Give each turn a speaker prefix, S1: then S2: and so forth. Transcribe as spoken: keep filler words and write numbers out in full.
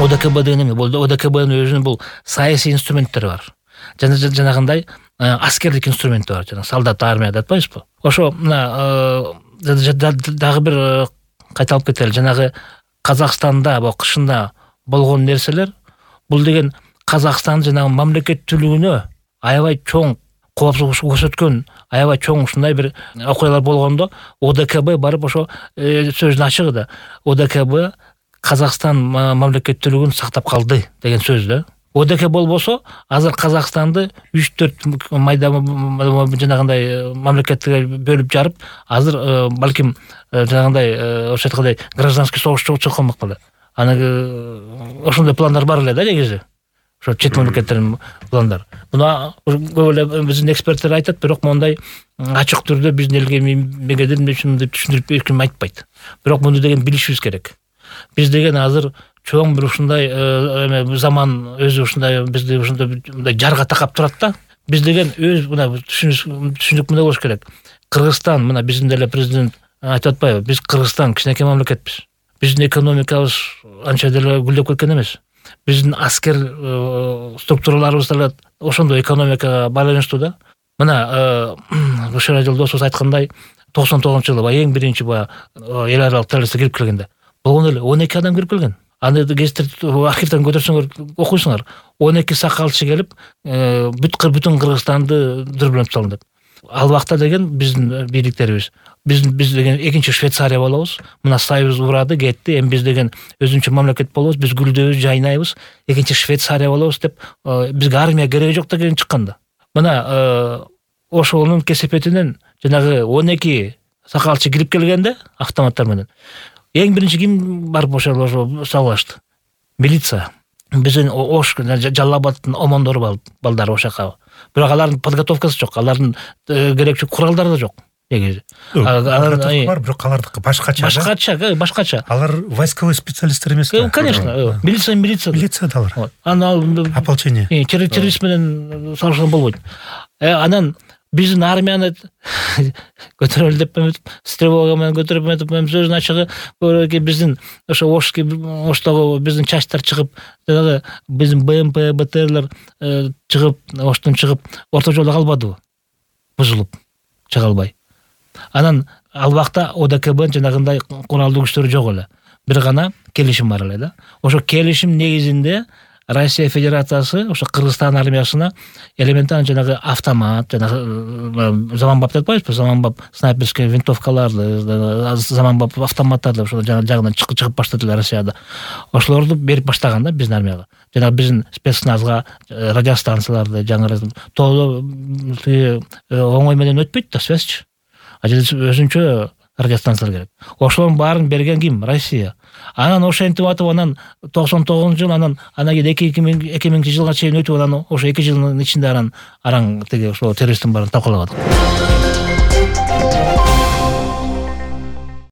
S1: ОДКБ деген эме, бул ОДКБнын өзүнүн бул саясий инструменттери бар. Жана жанагындай аскердик инструменти бар, жана солдат, армия деп атпайбызбы? Ошо мына дагы бир кайталып кетели. Жанагы Казакстанда кышында болгон нерселер, бул деген Казакстан жанагы мамлекеттүүлүгүнө аябай чоң коопсуздук көрсөткөн, аябай чоң ушундай бир окуялар болгондо ОДКБ барып ошо сөздүн ачыгы да ОДКБ Казакстан мамлекеттүүлүгүн сактап калды деген сөз да. ОДКБ болбосо азыр Казакстанды үч төрт майда жанагындай мамлекетке бөлүп жарып, азыр балким жанагындай ошо айткандай гражданский согуш чыгып калмак беле. Аны ошондой пландар бар эле да негизи. Ошо чет мамлекеттердин пландары. Муну көп эле биздин эксперттер айтат, бирок мондай ачык түрдө биздин элге мегеден деп түшүндүрүп эч ким айтпайт. Бирок муну деген билишибиз керек. Биз деген азыр чоң бир ушундай заман өзү ушундай бизди ушундай жарга такап турат да. Биз деген өз мына түшүнүк мындай болуш керек. Кыргызстан, мына биздин деле президент айтып атпайбы? Биз Кыргызстан кичинекей мамлекетпиз. Биздин экономикабыз анча деле гүлдөп кеткен эмес. Биздин аскер структураларыбыз деле ошондой экономикага байланыштуу да. Мына Башар Жолдосов айткандай, токсон тогузунчу жылы эң биринчи баягы эл аралык террористтер кирип келгенде болгон эле он эки адам кирип келген. Аны гезиттер архивден көтөрсөңөр окуйсуңар. он эки сакалчы келип, бүткүл бүтүн Кыргызстанды дүрбөлөп салдым деп. Ал вакытта деген биздин бийликтерибиз, биз биз деген экинчи Швейцария болобуз. Мына Союз урады, кетти. Эми биз деген өзүнчө мамлекет болобуз, биз гүлдөбүз, жайнайбыз. Экинчи Швейцария болобуз деп бизге армия кереги жок деген чыкканда. Мына ошонун кесепетинен жанагы он эки сакалчы кирип келгенде автоматтар менен эң биринчи ким барып ошо салышты? Милиция. Биздин Ош, Жалал-Абадтын омондору балдары ошака. Бирок алардын подготовкасы жок, алардын керектүү куралдары да жок. Негизи.
S2: Алар бар, бирок алардыкы башкача.
S1: Башкача, башкача.
S2: Алар войсковой специалисттер эмес да.
S1: Конечно, милиция, милиция.
S2: Милиция да алар.
S1: Аны
S2: ополчение.
S1: Террорист менен салыштырган болбойт. Анан биздин армияны көтөрөлү деп эметип, стрелога менен көтөрүп эметип, сөздүн ачыгы биздин ошо Ошки Оштогу биздин чачтар чыгып, жанагы биздин БМП, БТРлер чыгып, Оштон чыгып, орто жолдо калбадыбы? Бузулуп чыга албай. Анан ал вакытта ОДКБнын жанагындай куралдуу күчтөрү жок эле. Бир гана келишим бар эле да. Ошо келишим негизинде Россия Федерациясы ошо Кыргызстан армиясына элементарный жанагы автомат, жанагы заманбап деп атпайбызбы? Заманбап снайперский винтовкаларды, заманбап автоматтарды ошо жагынан чыгып баштады Россияда. Ошолорду берип баштаган да биздин армияга. Жанагы биздин спецназга радиостанцияларды жаңы тоодо оңой менен өтпөйт да связьчы. Өзүнчө радиостанциялар керек. Ошолордун баарын берген ким? Россия. Анан ошентип атып, анан токсон тогузунчу жыл, анан анан кийин эки миңинчи жылга чейин өтүп, анан ошо эки жылдын ичинде анан араң тиги ошо террористтин баарын талкалаган.